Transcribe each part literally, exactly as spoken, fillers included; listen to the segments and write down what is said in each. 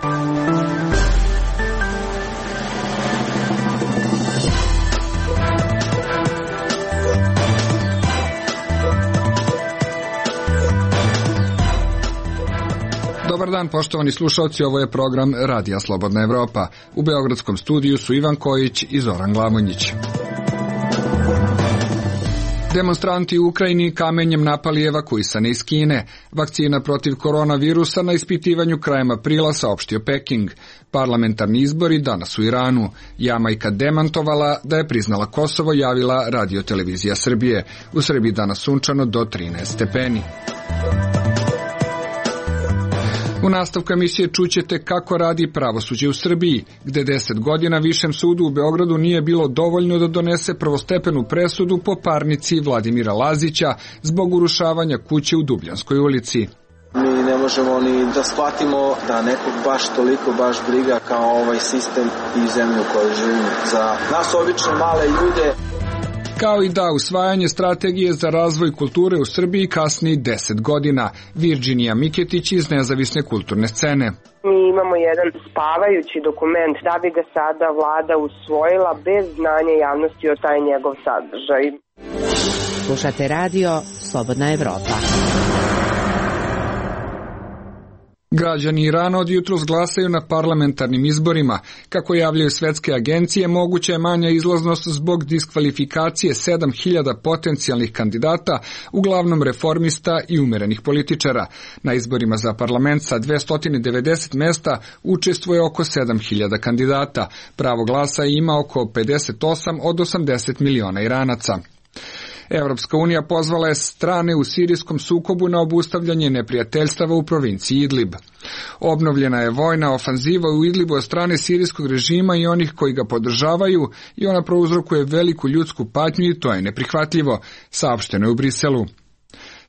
Dobar dan, poštovani slušalci, ovo je program Radija Slobodna Evropa. U beogradskom studiju su Ivan Kojić i Zoran Glamonjić. Demonstranti u Ukrajini kamenjem napali evakuisane iz Kine. Vakcina protiv koronavirusa na ispitivanju krajem aprila, saopštio Peking. Parlamentarni izbori danas u Iranu. Jamajka demantovala da je priznala Kosovo, javila Radio-televizija Srbije. U Srbiji danas sunčano do trinaest stepeni. U nastavku emisije čućete kako radi pravosuđe u Srbiji, gde deset godina Višem sudu u Beogradu nije bilo dovoljno da donese prvostepenu presudu po parnici Vladimira Lazića zbog urušavanja kuće u Dubljanskoj ulici. Mi ne možemo ni da shvatimo da nekog baš toliko baš briga kao ovaj sistem i zemlju u kojoj živimo. Za nas obične male ljude, kao i da usvajanje strategije za razvoj kulture u Srbiji kasni deset godina. Virginija Miketić iz Nezavisne kulturne scene. Mi imamo jedan spavajući dokument da bi ga sada vlada usvojila bez znanja javnosti o taj njegov sadržaj. Slušate radio Slobodna Evropa. Građani Irana od jutros glasaju na parlamentarnim izborima. Kako javljaju svetske agencije, moguća je manja izlaznost zbog diskvalifikacije sedam hiljada potencijalnih kandidata, uglavnom reformista i umerenih političara. Na izborima za parlament sa dvesta devedeset mesta učestvuje oko sedam hiljada kandidata. Pravo glasa ima oko pedeset osam od osamdeset miliona Iranaca. Evropska unija pozvala je strane u sirijskom sukobu na obustavljanje neprijateljstava u provinciji Idlib. Obnovljena je vojna ofanziva u Idlibu od strane sirijskog režima i onih koji ga podržavaju i ona prouzrokuje veliku ljudsku patnju i to je neprihvatljivo, saopšteno je u Briselu.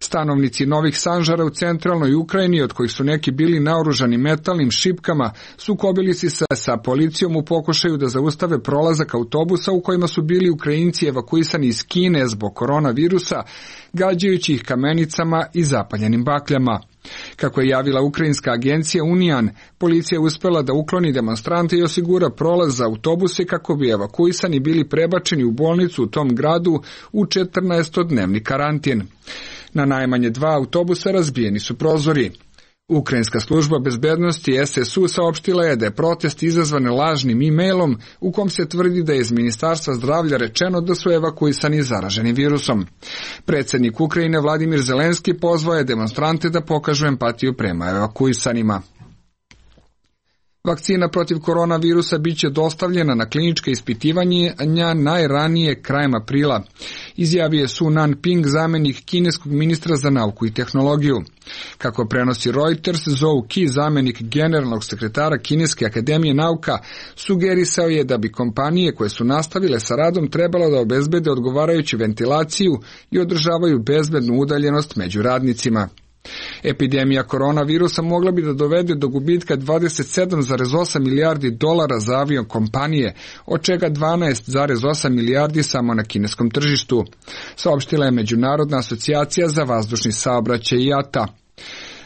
Stanovnici Novih Sanžara u centralnoj Ukrajini, od kojih su neki bili naoružani metalnim šipkama, sukobili se sa policijom u pokušaju da zaustave prolazak autobusa u kojima su bili Ukrajinci evakuisani iz Kine zbog koronavirusa, gađajući ih kamenicama i zapaljenim bakljama. Kako je javila ukrajinska agencija Unijan, policija je uspela da ukloni demonstrante i osigura prolaz za autobuse kako bi evakuisani bili prebačeni u bolnicu u tom gradu u četrnaestodnevni karantin. Na najmanje dva autobusa razbijeni su prozori. Ukrajinska služba bezbednosti S S U saopštila je da je protest izazvan lažnim e-mailom u kom se tvrdi da je iz Ministarstva zdravlja rečeno da su evakuisani zaraženi virusom. Predsjednik Ukrajine Vladimir Zelenski pozvao je demonstrante da pokažu empatiju prema evakuisanima. Vakcina protiv koronavirusa biće dostavljena na klinička ispitivanja najranije krajem aprila, izjavio je Su Nanping, zamjenik kineskog ministra za nauku i tehnologiju. Kako prenosi Reuters, Zhou Qi, zamjenik generalnog sekretara Kineske akademije nauka, sugerisao je da bi kompanije koje su nastavile sa radom trebalo da obezbede odgovarajuću ventilaciju i održavaju bezbednu udaljenost među radnicima. Epidemija koronavirusa mogla bi da dovede do gubitka dvadeset sedam zarez osam milijardi dolara za avion kompanije, od čega dvanaest zarez osam milijardi samo na kineskom tržištu, saopštila je Međunarodna asocijacija za vazdušni saobraćaj I A T A.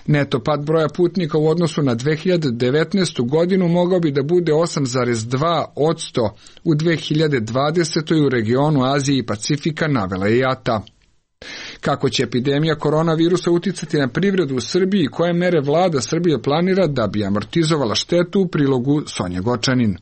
Neto pad broja putnika u odnosu na dve hiljade devetnaestu. godinu mogao bi da bude osam zarez dva posto u dve hiljade dvadesetoj. u regionu Azije i Pacifika, navela je I A T A. Kako će epidemija koronavirusa uticati na privredu u Srbiji i koje mere vlada Srbije planira da bi amortizovala štetu, u prilogu Sonja Gočanin.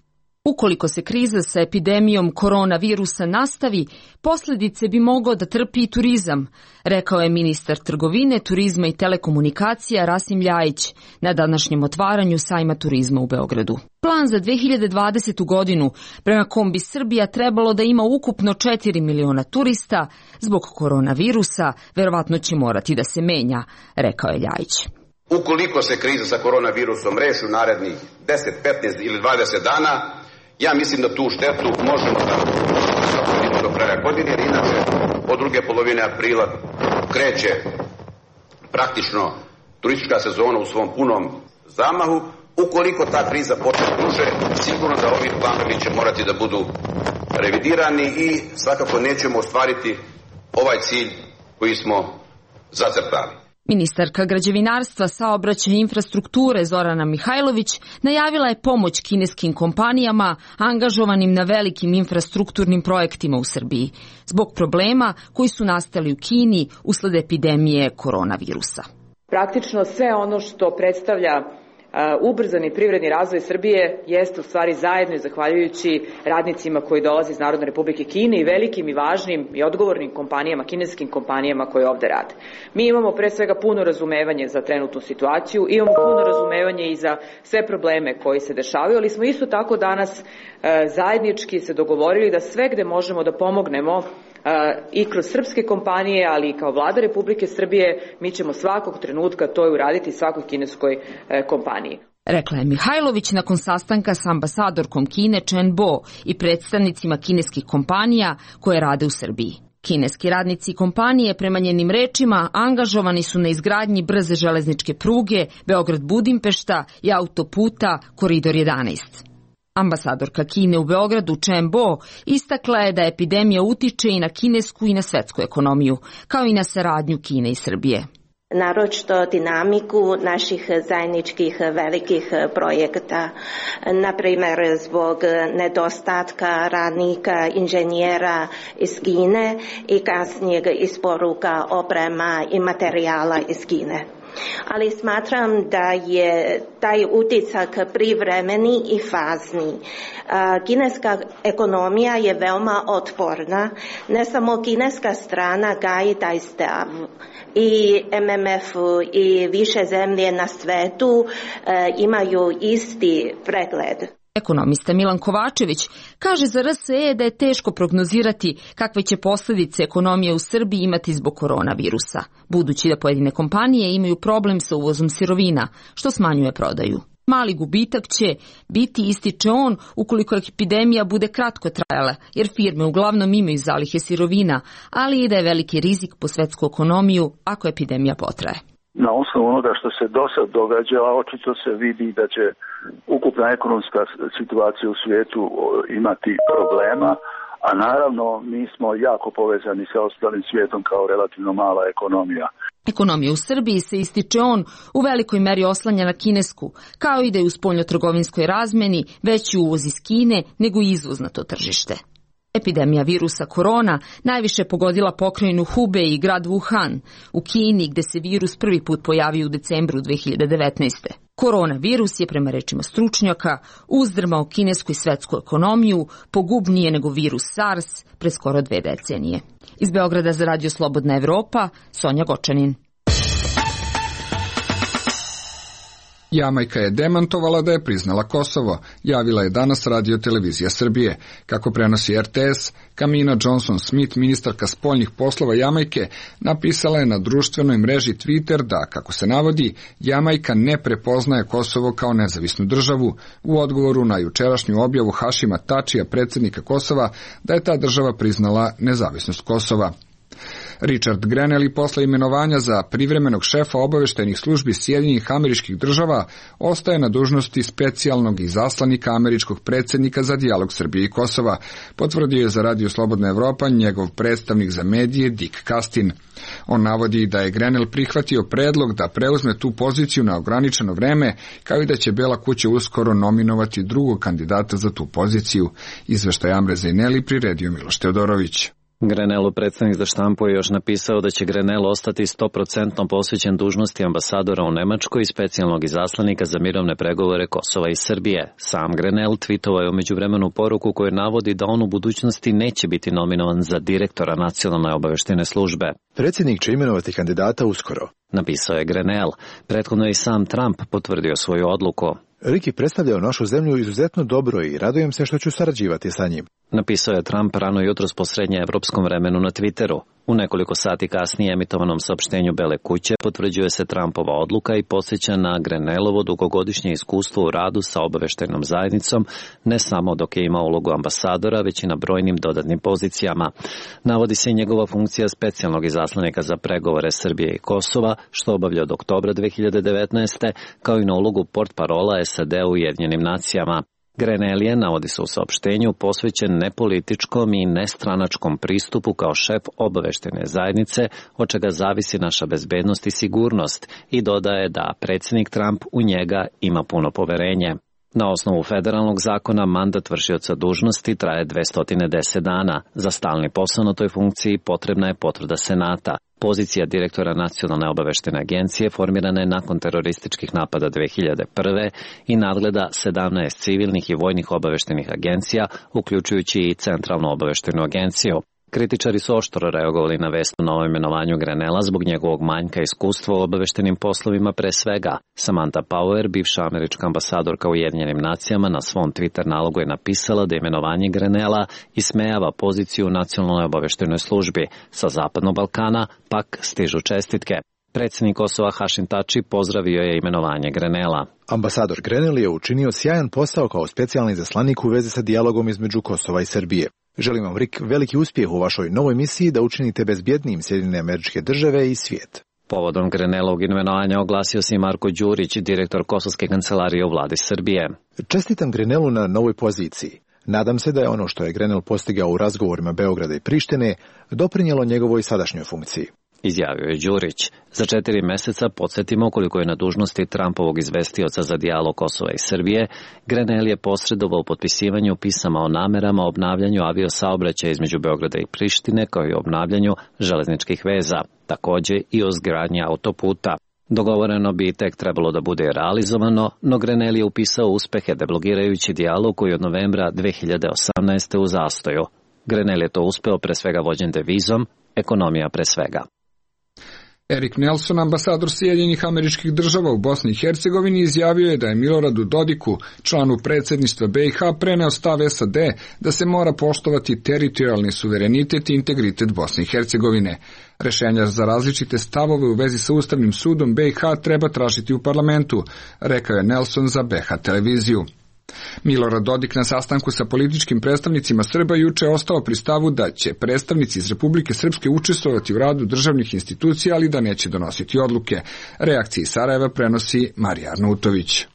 Ukoliko se kriza sa epidemijom koronavirusa nastavi, posljedice bi mogao da trpi i turizam, rekao je ministar trgovine, turizma i telekomunikacija Rasim Ljajić na današnjem otvaranju sajma turizma u Beogradu. Plan za dve hiljade dvadesetu. godinu, prema kom bi Srbija trebalo da ima ukupno četiri miliona turista, zbog koronavirusa verovatno će morati da se menja, rekao je Ljajić. Ukoliko se kriza sa koronavirusom reši u narednih deset, petnaest ili dvadeset dana, ja mislim da tu štetu možemo da vidimo do kraja godine, jer inače od druge polovine aprila kreće praktično turistička sezona u svom punom zamahu. Ukoliko ta kriza počne duže, sigurno da ovi planovi će morati da budu revidirani i svakako nećemo ostvariti ovaj cilj koji smo zacrtali. Ministarka građevinarstva, saobraćaja i infrastrukture Zorana Mihajlović najavila je pomoć kineskim kompanijama angažovanim na velikim infrastrukturnim projektima u Srbiji zbog problema koji su nastali u Kini usled epidemije koronavirusa. Praktično sve ono što predstavlja ubrzani privredni razvoj Srbije jeste u stvari zajedno i zahvaljujući radnicima koji dolaze iz Narodne Republike Kine i velikim i važnim i odgovornim kompanijama, kineskim kompanijama koje ovde rade. Mi imamo pre svega puno razumevanje za trenutnu situaciju, imamo puno razumevanje i za sve probleme koji se dešavaju, ali smo isto tako danas zajednički se dogovorili da sve gde možemo da pomognemo i kroz srpske kompanije, ali i kao vlada Republike Srbije, mi ćemo svakog trenutka to i uraditi svakoj kineskoj kompaniji. Rekla je Mihajlović nakon sastanka sa ambasadorkom Kine Chen Bo i predstavnicima kineskih kompanija koje rade u Srbiji. Kineski radnici i kompanije, prema njenim rečima, angažovani su na izgradnji brze železničke pruge Beograd-Budimpešta i autoputa Koridor jedanaest. Ambasadorka Kine u Beogradu Chen Bo istakla je da epidemija utiče i na kinesku i na svetsku ekonomiju, kao i na saradnju Kine i Srbije. Naročito dinamiku naših zajedničkih velikih projekata, na primjer zbog nedostatka radnika, inženjera iz Kine i kasnijeg isporuka oprema i materijala iz Kine. Ali smatram da je taj uticak privremeni i fazni. Kineska ekonomija je veoma otporna, ne samo kineska strana gaji taj stav. I M M F i više zemlje na svetu imaju isti pregled. Ekonomista Milan Kovačević kaže za R S E da je teško prognozirati kakve će posljedice ekonomije u Srbiji imati zbog koronavirusa, budući da pojedine kompanije imaju problem sa uvozom sirovina, što smanjuje prodaju. Mali gubitak će biti, ističe on, ukoliko epidemija bude kratko trajala, jer firme uglavnom imaju zalihe sirovina, ali i da je veliki rizik po svetsku ekonomiju ako epidemija potraje. Na osnovu onoga što se do sad događa, očito se vidi da će ukupna ekonomska situacija u svijetu imati problema, a naravno mi smo jako povezani sa ostalim svijetom kao relativno mala ekonomija. Ekonomija u Srbiji se, ističe on, u velikoj meri oslanja na kinesku, kao i da je u spoljnotrgovinskoj razmeni veći uvoz iz Kine nego izvoz na to tržište. Epidemija virusa korona najviše pogodila pokrajinu Hubei i grad Wuhan u Kini, gde se virus prvi put pojavio u decembru dve hiljade devetnaeste. Koronavirus je, prema rečima stručnjaka, uzdrmao kinesku i svetsku ekonomiju, pogubnije nego virus SARS pre skoro dve decenije. Iz Beograda za Radio Slobodna Evropa, Sonja Gočanin. Jamajka je demantovala da je priznala Kosovo, javila je danas Radio Televizija Srbije. Kako prenosi R T S, Kamina Johnson-Smith, ministarka spoljnih poslova Jamajke, napisala je na društvenoj mreži Twitter da, kako se navodi, Jamajka ne prepoznaje Kosovo kao nezavisnu državu, u odgovoru na jučerašnju objavu Hašima Tačija, predsjednika Kosova, da je ta država priznala nezavisnost Kosova. Richard Grenell posle imenovanja za privremenog šefa obaveštajnih službi Sjedinjenih Američkih Država ostaje na dužnosti specijalnog izaslanika američkog predsjednika za dijalog Srbije i Kosova, potvrdio je za Radio Slobodna Evropa njegov predstavnik za medije Dick Castin. On navodi da je Grenell prihvatio predlog da preuzme tu poziciju na ograničeno vreme, kao i da će Bela kuća uskoro nominovati drugog kandidata za tu poziciju. Izveštaj Amre Zejneli priredio Miloš Teodorović. Grenellov predstavnik za štampu je još napisao da će Grenell ostati sto posto posvećen dužnosti ambasadora u Nemačkoj i specijalnog izaslanika za mirovne pregovore Kosova i Srbije. Sam Grenell tweetovao je u međuvremenu poruku koju navodi da on u budućnosti neće biti nominovan za direktora nacionalne obaveštajne službe. Predsjednik će imenovati kandidata uskoro, napisao je Grenell. Prethodno je i sam Trump potvrdio svoju odluku. Rick je predstavljao našu zemlju izuzetno dobro i radujem se što ću sarađivati sa njim, napisao je Trump rano jutros po srednjeevropskom vremenu na Twitteru. U nekoliko sati kasnije emitovanom saopštenju Bele kuće potvrđuje se Trumpova odluka i podsjeća na Grenellovo dugogodišnje iskustvo u radu sa obaveštajnom zajednicom, ne samo dok je imao ulogu ambasadora, već i na brojnim dodatnim pozicijama. Navodi se i njegova funkcija specijalnog izaslanika za pregovore Srbije i Kosova, što obavlja od oktobra dve hiljade devetnaeste, kao i na ulogu portparola S A D u Ujedinjenim nacijama. Grenelije, navodi se u saopštenju, posvećen nepolitičkom i nestranačkom pristupu kao šef obaveštajne zajednice, od čega zavisi naša bezbednost i sigurnost, i dodaje da predsjednik Trump u njega ima puno poverenje. Na osnovu federalnog zakona mandat vršioca dužnosti traje dvesta deset dana. Za stalni posao na toj funkciji potrebna je potvrda Senata. Pozicija direktora Nacionalne obaveštajne agencije formirana je nakon terorističkih napada dve hiljade prve. i nadgleda sedamnaest civilnih i vojnih obaveštajnih agencija, uključujući i Centralnu obaveštajnu agenciju. Kritičari su oštro reagovali na vest o novom imenovanju Grenela zbog njegovog manjka iskustva u obaveštajnim poslovima pre svega. Samantha Power, bivša američka ambasadorka u Ujedinjenim nacijama, na svom Twitter nalogu je napisala da imenovanje Grenela ismejava poziciju u Nacionalnoj obaveštajnoj službi. Sa Zapadnog Balkana pak stižu čestitke. Predsjednik Kosova Hašim Tači pozdravio je imenovanje Grenela. Ambasador Grenel je učinio sjajan posao kao specijalni izaslanik u vezi sa dijalogom između Kosova i Srbije. Želim vam, Rik, veliki uspjeh u vašoj novoj misiji da učinite bezbjednijim Sjedinjene Američke Države i svijet. Povodom Grenelovog imenovanja oglasio se i Marko Đurić, direktor Kosovske kancelarije u vladi Srbije. Čestitam Grenelu na novoj poziciji. Nadam se da je ono što je Grenel postigao u razgovorima Beograda i Prištine doprinijelo njegovoj sadašnjoj funkciji. Izjavio je Đurić. Za četiri meseca podsjetimo koliko je na dužnosti Trumpovog izvestioca za dijalog Kosova i Srbije, Grenel je posredovao u potpisivanju pisama o namerama o obnavljanju aviosaobraćaja između Beograda i Prištine, kao i o obnavljanju železničkih veza, takođe i o izgradnji autoputa. Dogovoreno bi tek trebalo da bude realizovano, no Grenel je upisao uspehe deblokirajući dijalog koji od novembra dve hiljade osamnaeste. u zastoju. Grenel je to uspeo pre svega vođen devizom, ekonomija pre svega. Erik Nelson, ambasador Sjedinjenih Američkih Država u Bosni i Hercegovini, izjavio je da je Miloradu Dodiku, članu predsjedništva B i H, preneo stav S A D da se mora poštovati teritorijalni suverenitet i integritet Bosne i Hercegovine. Rešenja za različite stavove u vezi sa Ustavnim sudom B i H treba tražiti u parlamentu, rekao je Nelson za B H televiziju. Milorad Dodik na sastanku sa političkim predstavnicima Srba juče ostao pri stavu da će predstavnici iz Republike Srpske učestvovati u radu državnih institucija, ali da neće donositi odluke. Reakcije Sarajeva prenosi Marija Arnautović.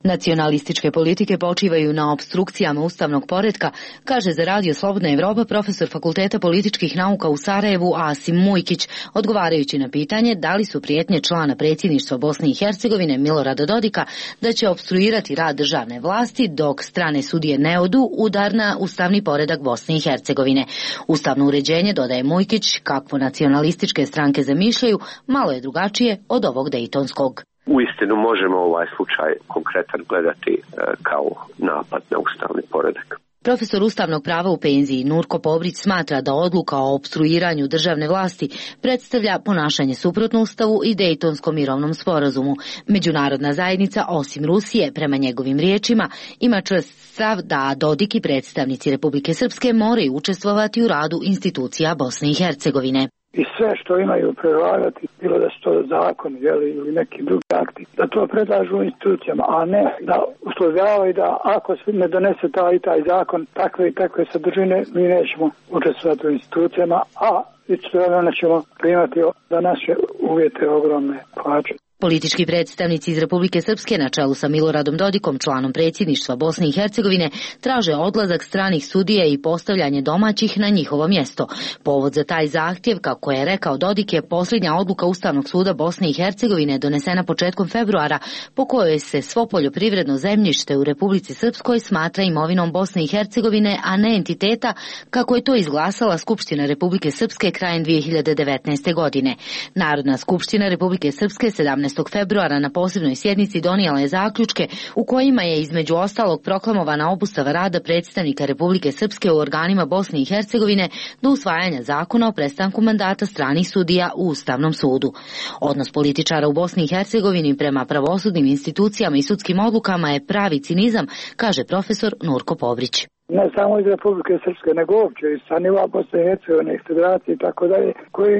Nacionalističke politike počivaju na opstrukcijama ustavnog poretka, kaže za Radio Slobodna Evropa profesor Fakulteta političkih nauka u Sarajevu Asim Mujkić, odgovarajući na pitanje da li su prijetnje člana predsjedništva Bosne i Hercegovine Milorada Dodika da će opstruirati rad državne vlasti dok strane sudije ne odu udar na ustavni poredak Bosne i Hercegovine. Ustavno uređenje, dodaje Mujkić, kakvo nacionalističke stranke zamišljaju, malo je drugačije od ovog dejtonskog. Uistinu možemo ovaj slučaj konkretan gledati e, kao napad na ustavni poredak. Profesor ustavnog prava u penziji Nurko Pobrić smatra da odluka o opstruiranju državne vlasti predstavlja ponašanje suprotno ustavu i Dejtonskom mirovnom sporazumu. Međunarodna zajednica, osim Rusije, prema njegovim riječima, ima čvrst stav da Dodik i predstavnici Republike Srpske moraju učestvovati u radu institucija Bosne i Hercegovine. I sve što imaju predlagati, bilo da su to zakon ili neki drugi akti, da to predlažu institucijama, a ne da uslovljavaju da ako se ne donese taj i taj zakon, takve i takve sadržine, mi nećemo učestvovati u institucijama, a istovremeno ćemo primati za naše uvjete ogromne plaće. Politički predstavnici iz Republike Srpske na čelu sa Miloradom Dodikom, članom predsjedništva Bosne i Hercegovine, traže odlazak stranih sudija i postavljanje domaćih na njihovo mjesto. Povod za taj zahtjev, kako je rekao Dodik, je posljednja odluka Ustavnog suda Bosne i Hercegovine donesena početkom februara, po kojoj se svo poljoprivredno zemljište u Republici Srpskoj smatra imovinom Bosne i Hercegovine, a ne entiteta, kako je to izglasala Skupština Republike Srpske krajem dvije hiljade devetnaeste. godine. Narodna skupština Republike Srpske sedamnaestog februara na posebnoj sjednici donijela je zaključke u kojima je između ostalog proklamovana obustava rada predstavnika Republike Srpske u organima Bosne i Hercegovine do usvajanja zakona o prestanku mandata stranih sudija u Ustavnom sudu. Odnos političara u Bosni i Hercegovini prema pravosudnim institucijama i sudskim odlukama je pravi cinizam, kaže profesor Nurko Pobrić. Ne samo iz Republike Srpske, nego uopće iz sa nivoa Bosne i Hercegovine, federacije i tako dalje, koji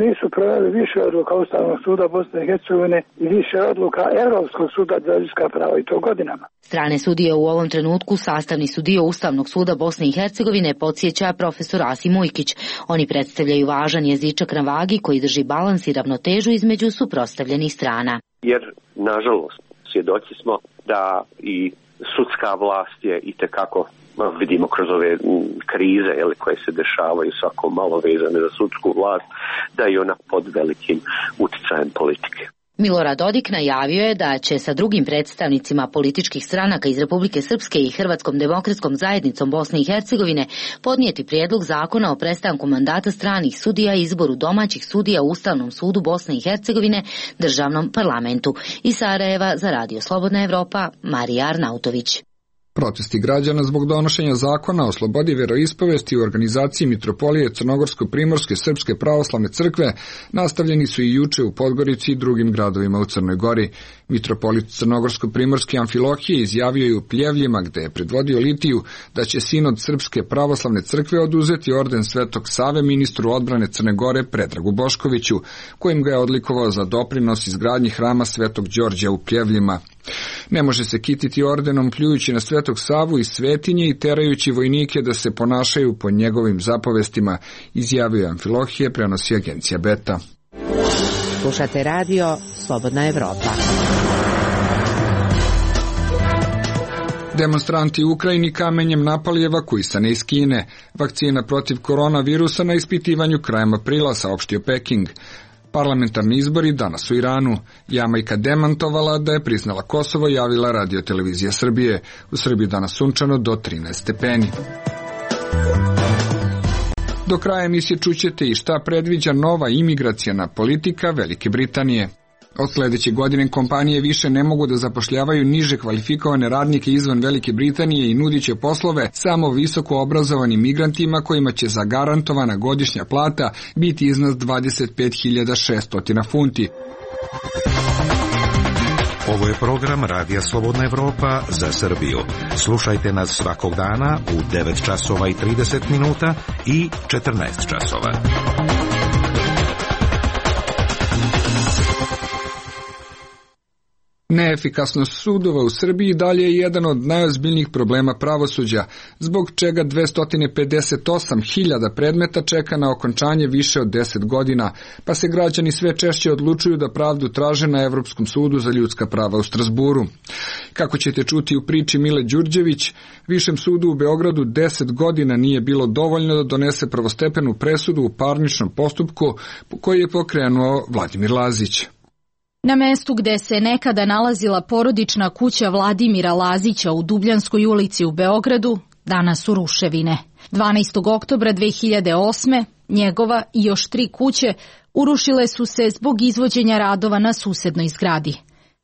nisu proveli više odluka Ustavnog suda Bosne i Hercegovine i više odluka Europskog suda za ljudska prava i to godinama. Strane sudije u ovom trenutku sastavni su dio Ustavnog suda Bosne i Hercegovine, podsjeća profesor Asim Mujkić. Oni predstavljaju važan jezičak na vagi koji drži balans i ravnotežu između suprotstavljenih strana. Jer, nažalost, svjedoci smo da i sudska vlast je itekako, vidimo kroz ove krize jeli, koje se dešavaju svako malo vezane za sudsku vlast, da je ona pod velikim uticajem politike. Milorad Dodik najavio je da će sa drugim predstavnicima političkih stranaka iz Republike Srpske i Hrvatskom demokratskom zajednicom Bosne i Hercegovine podnijeti prijedlog zakona o prestanku mandata stranih sudija i izboru domaćih sudija u Ustavnom sudu Bosne i Hercegovine, državnom parlamentu. Iz Sarajeva za Radio Slobodna Evropa, Marija Arnautović. Protesti građana zbog donošenja zakona o slobodi veroispovesti u organizaciji Mitropolije Crnogorsko-Primorske Srpske pravoslavne crkve nastavljeni su i juče u Podgorici i drugim gradovima u Crnoj Gori. Mitropolit Crnogorsko-Primorske Amfilohije izjavio je u Pljevljima, gde je predvodio litiju, da će sinod Srpske pravoslavne crkve oduzeti orden Svetog Save ministru odbrane Crne Gore Predragu Boškoviću, kojim ga je odlikovao za doprinos izgradnji hrama Svetog Đorđa u Pljevljima. Ne može se kititi ordenom pljujući na Svetog Savu iz svetinje i terajući vojnike da se ponašaju po njegovim zapovestima, izjavio Amfilohije, prenosi agencija Beta. Slušate radio Slobodna Evropa. Demonstranti u Ukrajini kamenjem napali evakuisane iz Kine. Vakcina protiv koronavirusa na ispitivanju krajem aprila, saopštio Peking. Parlamentarni izbori danas u Iranu. Jamajka demantovala da je priznala Kosovo, javila Radio-televizija Srbije. U Srbiji danas sunčano do trinaest stepeni. Do kraja emisije čućete i šta predviđa nova imigraciona politika Velike Britanije. Od sledeće godine kompanije više ne mogu da zapošljavaju niže kvalifikovane radnike izvan Velike Britanije i nudit će poslove samo visoko obrazovanim migrantima kojima će zagarantovana godišnja plata biti iznad dvadeset pet hiljada šesto funti. Ovo je program Radija Slobodna Evropa za Srbiju. Slušajte nas svakog dana u devet časova i trideset minuta i četrnaest časova. Neefikasnost sudova u Srbiji dalje je jedan od najozbiljnijih problema pravosuđa, zbog čega dvesta pedeset osam hiljada predmeta čeka na okončanje više od deset godina, pa se građani sve češće odlučuju da pravdu traže na Evropskom sudu za ljudska prava u Strazburu. Kako ćete čuti u priči Mile Đurđević, Višem sudu u Beogradu deset godina nije bilo dovoljno da donese prvostepenu presudu u parničnom postupku koji je pokrenuo Vladimir Lazić. Na mestu gde se nekada nalazila porodična kuća Vladimira Lazića u Dubljanskoj ulici u Beogradu, danas su ruševine. dvanaestog oktobra dve hiljade osme njegova i još tri kuće urušile su se zbog izvođenja radova na susednoj zgradi.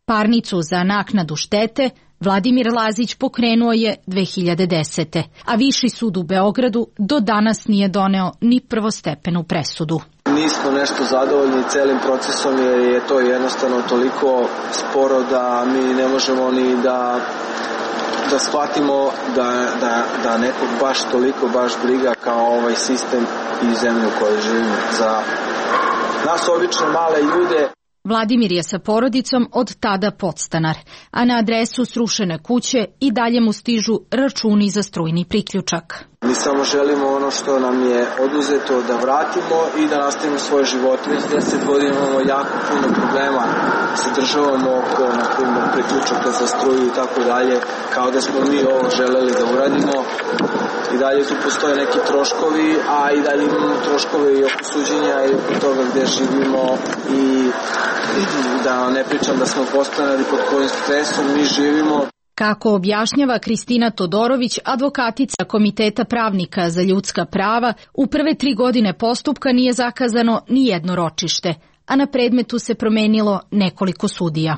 Parnicu za naknadu štete Vladimir Lazić pokrenuo je dve hiljade desete. a Viši sud u Beogradu do danas nije doneo ni prvostepenu presudu. Nismo nešto zadovoljni celim procesom jer je to jednostavno toliko sporo da mi ne možemo ni da, da shvatimo da, da, da nekog baš toliko baš briga kao ovaj sistem i zemlju u kojoj živimo. Za nas obične male ljude. Vladimir je sa porodicom od tada podstanar, a na adresu srušene kuće i dalje mu stižu računi za strujni priključak. Mi samo želimo ono što nam je oduzeto da vratimo i da nastavimo svoje živote. Već deset godina imamo jako puno problema sa državom oko, na primjer, priključaka za struju i tako dalje, kao da smo mi ovo želeli da uradimo. I dalje tu postoje neki troškovi, a i dalje imamo troškove i oko suđenja i oko toga gde živimo i da ne pričam da smo postanali pod kojim stresom mi živimo. Kako objašnjava Kristina Todorović, advokatica Komiteta pravnika za ljudska prava, u prve tri godine postupka nije zakazano ni jedno ročište, a na predmetu se promenilo nekoliko sudija.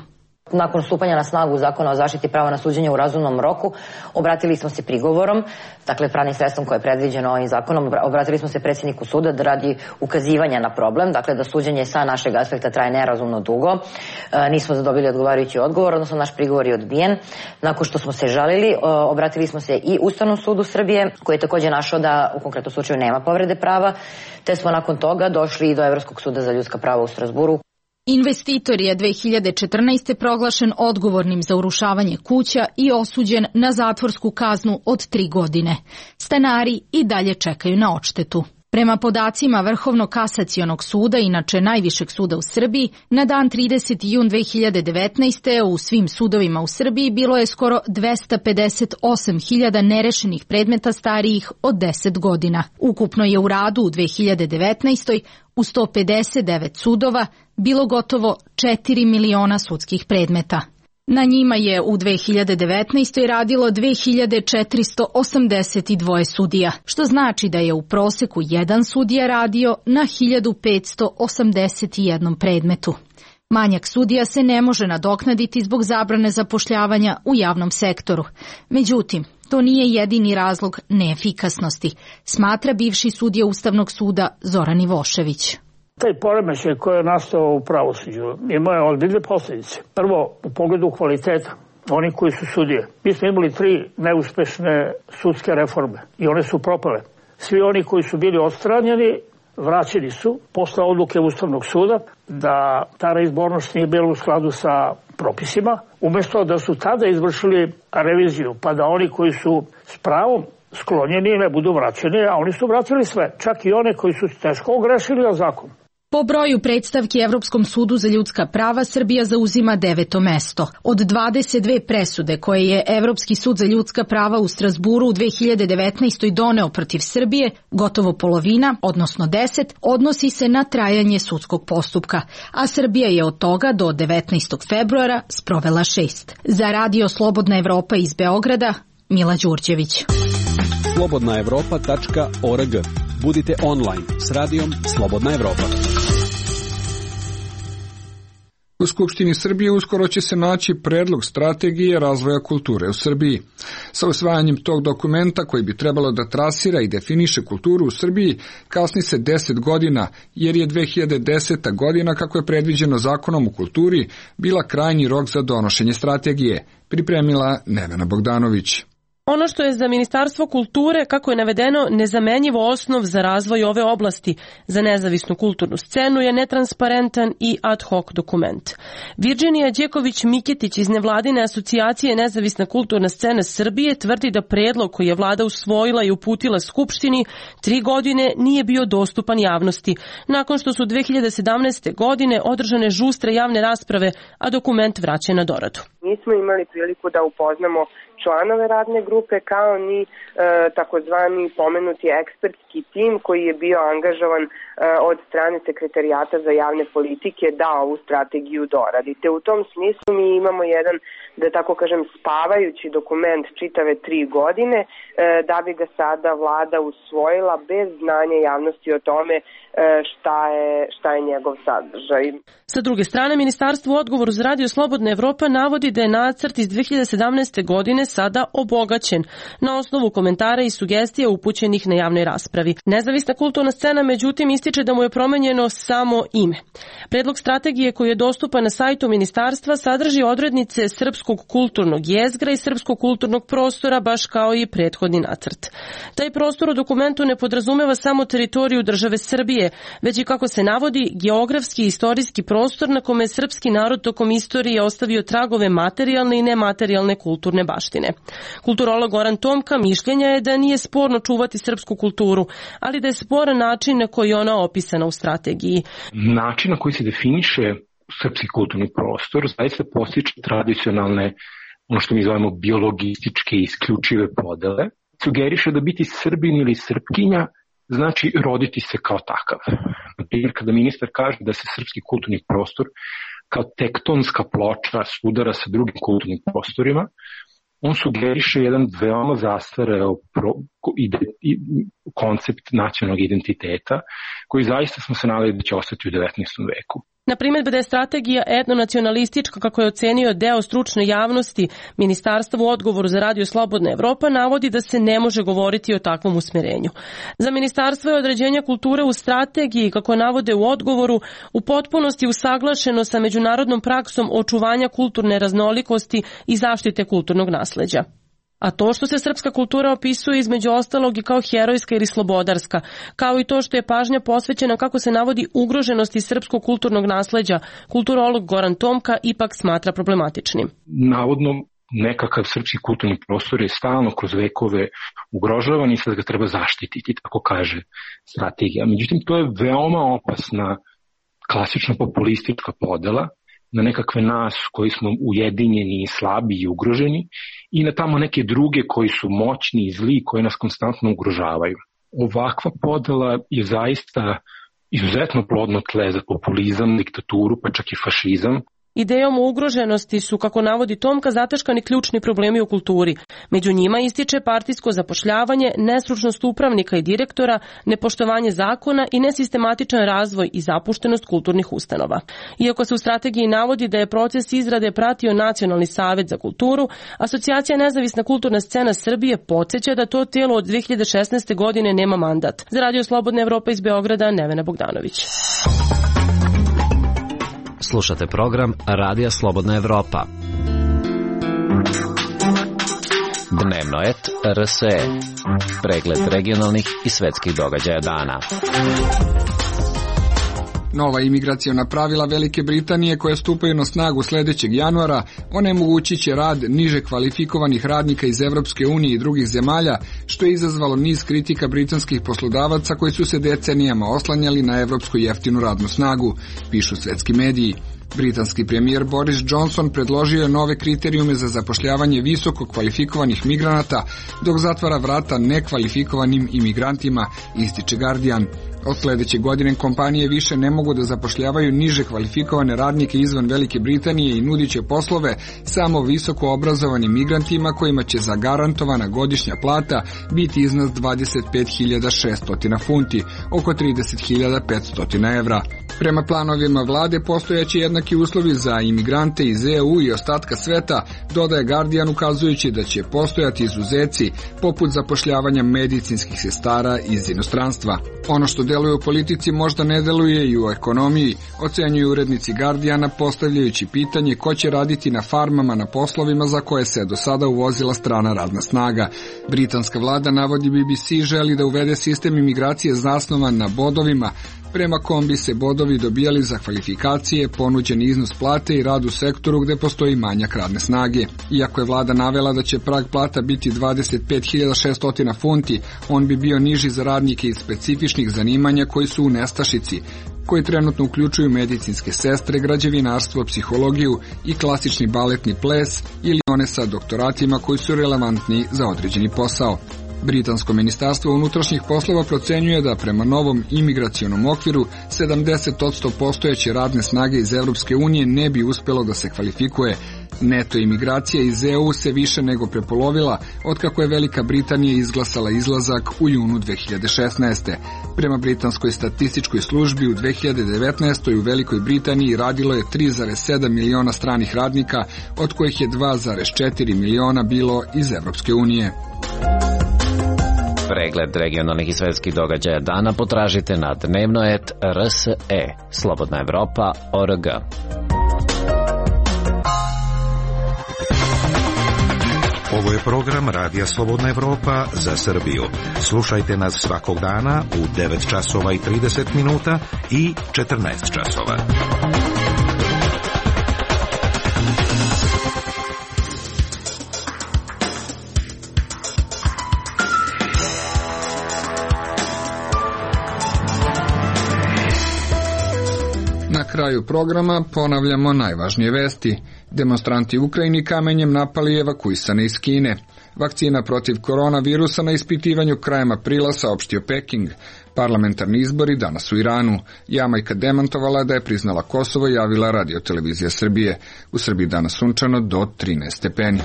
Nakon stupanja na snagu Zakona o zaštiti prava na suđenje u razumnom roku, obratili smo se prigovorom, dakle pravnim sredstvom koje je predviđeno ovim zakonom, obratili smo se predsjedniku suda da radi ukazivanja na problem, dakle da suđenje sa našeg aspekta traje nerazumno dugo. E, nismo zadobili odgovarajući odgovor, odnosno naš prigovor je odbijen. Nakon što smo se žalili, obratili smo se i Ustavnom sudu Srbije, koji je također našao da u konkretnom slučaju nema povrede prava, te smo nakon toga došli i do Evropskog suda za ljudska prava u Strazburu. Investitor je dve hiljade četrnaeste. proglašen odgovornim za urušavanje kuća i osuđen na zatvorsku kaznu od tri godine. Stanari i dalje čekaju na odštetu. Prema podacima Vrhovnog kasacionog suda, inače najvišeg suda u Srbiji, na dan trideseti jun dve hiljade devetnaeste. u svim sudovima u Srbiji bilo je skoro dvesta pedeset osam hiljada nerešenih predmeta starijih od deset godina. Ukupno je u radu u dve hiljade devetnaestoj. u sto pedeset devet sudova bilo gotovo četiri miliona sudskih predmeta. Na njima je u dve hiljade devetnaestoj. radilo dve hiljade četiristo osamdeset dva sudija, što znači da je u proseku jedan sudija radio na hiljadu petsto osamdeset jedan predmetu. Manjak sudija se ne može nadoknaditi zbog zabrane zapošljavanja u javnom sektoru. Međutim, to nije jedini razlog neefikasnosti, smatra bivši sudija Ustavnog suda Zoran Ivošević. Taj poremećaj koji je nastao u pravosuđu ima je ozbiljne posljedice. Prvo, u pogledu kvaliteta, oni koji su sudije. Mi smo imali tri neuspešne sudske reforme i one su propale. Svi oni koji su bili odstranjeni, vraćeni su posle odluke Ustavnog suda da ta reizbornost nije bila u skladu sa propisima. Umesto da su tada izvršili reviziju, pa da oni koji su s pravom sklonjeni ne budu vraćeni, a oni su vratili sve, čak i one koji su teško ogrešili o zakon. Po broju predstavki Evropskom sudu za ljudska prava Srbija zauzima deveto mesto. Od dvadeset dve presude koje je Evropski sud za ljudska prava u Strazburu u dve hiljade devetnaestoj. doneo protiv Srbije, gotovo polovina, odnosno deset, odnosi se na trajanje sudskog postupka, a Srbija je od toga do devetnaestog februara sprovela šest. Za Radio Slobodna Evropa iz Beograda, Mila Đurđević. slobodna evropa tačka org. Budite online s radijom Slobodna Evropa. U Skupštini Srbije uskoro će se naći predlog strategije razvoja kulture u Srbiji. Sa usvajanjem tog dokumenta, koji bi trebalo da trasira i definiše kulturu u Srbiji, kasni se deset godina, jer je dve hiljade deseta. godina, kako je predviđeno Zakonom o kulturi, bila krajnji rok za donošenje strategije, pripremila Nevena Bogdanović. Ono što je za Ministarstvo kulture, kako je navedeno, nezamenjivo osnov za razvoj ove oblasti za nezavisnu kulturnu scenu je netransparentan i ad hoc dokument. Virginija Đeković-Miketić iz nevladine asocijacije Nezavisna kulturna scena Srbije tvrdi da predlog koji je vlada usvojila i uputila Skupštini tri godine nije bio dostupan javnosti, nakon što su dve hiljade sedamnaeste. godine održane žustre javne rasprave, a dokument vraćen na doradu. Nismo imali priliku da upoznamo članove radne grupe kao ni e, takozvani pomenuti ekspertski tim koji je bio angažovan e, od strane Sekretarijata za javne politike da ovu strategiju doradi. Te u tom smislu mi imamo jedan, da tako kažem, spavajući dokument čitave tri godine e, da bi ga sada vlada usvojila bez znanja javnosti o tome e, šta je, šta je njegov sadržaj. Sa druge strane, Ministarstvo u odgovoru za Radio Slobodna Evropa navodi da je nacrt iz dve hiljade sedamnaeste. godine sada obogaćen na osnovu komentara i sugestija upućenih na javnoj raspravi. Nezavisna kulturna scena međutim ističe da mu je promenjeno samo ime. Predlog strategije koji je dostupan na sajtu ministarstva sadrži odrednice srpskog kulturnog jezgra i srpskog kulturnog prostora, baš kao i prethodni nacrt. Taj prostor u dokumentu ne podrazumeva samo teritoriju države Srbije, već i, kako se navodi, geografski i istorijski prostor na kome je srpski narod tokom istorije ostavio tragove materijalne i nematerijalne kulturne baštine. Kulturolog Goran Tomka mišljenja je da nije sporno čuvati srpsku kulturu, ali da je sporan način na koji je ona opisana u strategiji. Način na koji se definiše srpski kulturni prostor zaista postiče tradicionalne, ono što mi zovemo biologističke isključive podele. Sugeriše da biti Srbin ili Srpkinja znači roditi se kao takav. Na primjer, kada ministar kaže da se srpski kulturni prostor kao tektonska ploča sudara sa drugim kulturnim prostorima, on sugeriše jedan veoma zastareo koncept nacionalnog identiteta, koji zaista smo se nadali da će ostati u devetnaestom. veku. Na primjer, da je strategija etnonacionalistička, kako je ocenio deo stručne javnosti, Ministarstvo u odgovoru za Radio Slobodna Evropa navodi da se ne može govoriti o takvom usmjerenju. Za Ministarstvo je određenje kulture u strategiji, kako navode u odgovoru, u potpunosti usaglašeno sa međunarodnom praksom očuvanja kulturne raznolikosti i zaštite kulturnog nasleđa. A to što se srpska kultura opisuje između ostalog i kao herojska ili slobodarska, kao i to što je pažnja posvećena, kako se navodi, ugroženosti srpskog kulturnog nasleđa, kulturolog Goran Tomka ipak smatra problematičnim. Navodno nekakav srpski kulturni prostor je stalno kroz vekove ugrožavan i sad ga treba zaštititi, tako kaže strategija. Međutim, to je veoma opasna klasična populistička podela na nekakve nas koji smo ujedinjeni, slabi i ugroženi i na tamo neke druge koji su moćni i zli koji nas konstantno ugrožavaju. Ovakva podela je zaista izuzetno plodno tle za populizam, diktaturu, pa čak i fašizam. Idejom o ugroženosti su, kako navodi Tomka, zataškani ključni problemi u kulturi. Među njima ističe partijsko zapošljavanje, nestručnost upravnika i direktora, nepoštovanje zakona i nesistematičan razvoj i zapuštenost kulturnih ustanova. Iako se u strategiji navodi da je proces izrade pratio Nacionalni savet za kulturu, Asocijacija Nezavisna kulturna scena Srbije podsjeća da to tijelo od dve hiljade šesnaeste. godine nema mandat. Za Radio Slobodna Evropa iz Beograda, Nevena Bogdanović. Slušate program Radija Slobodna Evropa. Dnevno et R S E. Pregled regionalnih i svetskih događaja dana. Nova imigraciona pravila Velike Britanije koje stupaju na snagu sljedećeg januara onemogućit će rad niže kvalifikovanih radnika iz Evropske unije i drugih zemalja, što je izazvalo niz kritika britanskih poslodavaca koji su se decenijama oslanjali na evropsku jeftinu radnu snagu, pišu svetski mediji. Britanski premijer Boris Johnson predložio je nove kriterijume za zapošljavanje visoko kvalifikovanih migranata, dok zatvara vrata nekvalifikovanim imigrantima, ističe Guardian. Od sljedeće godine kompanije više ne mogu da zapošljavaju niže kvalifikovane radnike izvan Velike Britanije i nudit će poslove samo visoko obrazovanim migrantima kojima će zagarantovana godišnja plata biti iznad dvadeset pet hiljada šesto funti, oko trideset hiljada petsto evra. Prema planovima vlade postojaće jednaki uslovi za imigrante iz E U i ostatka sveta, dodaje Guardian ukazujući da će postojati izuzeci poput zapošljavanja medicinskih sestara iz inostranstva. Ono što deluje u politici možda ne deluje i u ekonomiji, ocenjuju urednici Guardiana postavljajući pitanje ko će raditi na farmama na poslovima za koje se do sada uvozila strana radna snaga. Britanska vlada, navodi B B C, želi da uvede sistem imigracije zasnovan na bodovima, prema kom bi se bodovi dobijali za kvalifikacije, ponuđeni iznos plate i rad u sektoru gde postoji manjak radne snage. Iako je vlada navela da će prag plata biti dvadeset pet hiljada šesto funti, on bi bio niži za radnike iz specifičnih zanimanja koji su u nestašici, koji trenutno uključuju medicinske sestre, građevinarstvo, psihologiju i klasični baletni ples ili one sa doktoratima koji su relevantni za određeni posao. Britansko ministarstvo unutrašnjih poslova procenjuje da prema novom imigracionom okviru sedamdeset posto postojeće radne snage iz Evropske unije ne bi uspjelo da se kvalifikuje. Neto imigracija iz E U se više nego prepolovila otkako je Velika Britanija izglasala izlazak u junu dve hiljade šesnaeste. Prema britanskoj statističkoj službi u dve hiljade devetnaestoj. u Velikoj Britaniji radilo je tri zarez sedam miliona stranih radnika, od kojih je dva zarez četiri miliona bilo iz Evropske unije. Pregled regionalnih i svetskih događaja dana potražite na dnevno et R S E. Slobodna Evropa O R G. Ovo je program Radija Slobodna Evropa za Srbiju. Slušajte nas svakog dana u devet časova i trideset minuta i četrnaest časova. Na kraju programa ponavljamo najvažnije vesti. Demonstranti u Ukrajini kamenjem napali evakuisane iz Kine. Vakcina protiv koronavirusa na ispitivanju krajem aprila, saopštio Peking. Parlamentarni izbori danas u Iranu. Jamajka demantovala da je priznala Kosovo, javila Radio-televizija Srbije. U Srbiji danas sunčano do trinaest stepeni.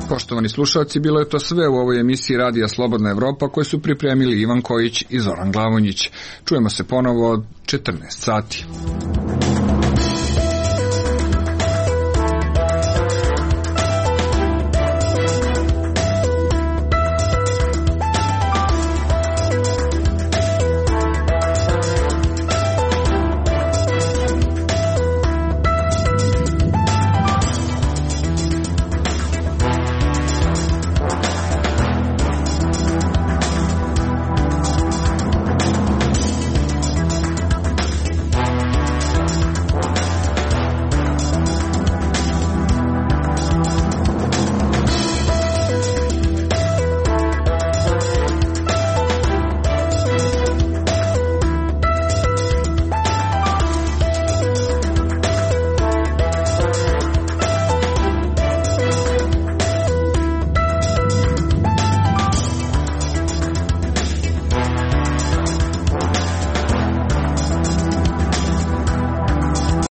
Poštovani slušalci, bilo je to sve u ovoj emisiji Radija Slobodna Evropa koju su pripremili Ivan Kojić i Zoran Glavonjić. Čujemo se ponovo od četrnaest sati.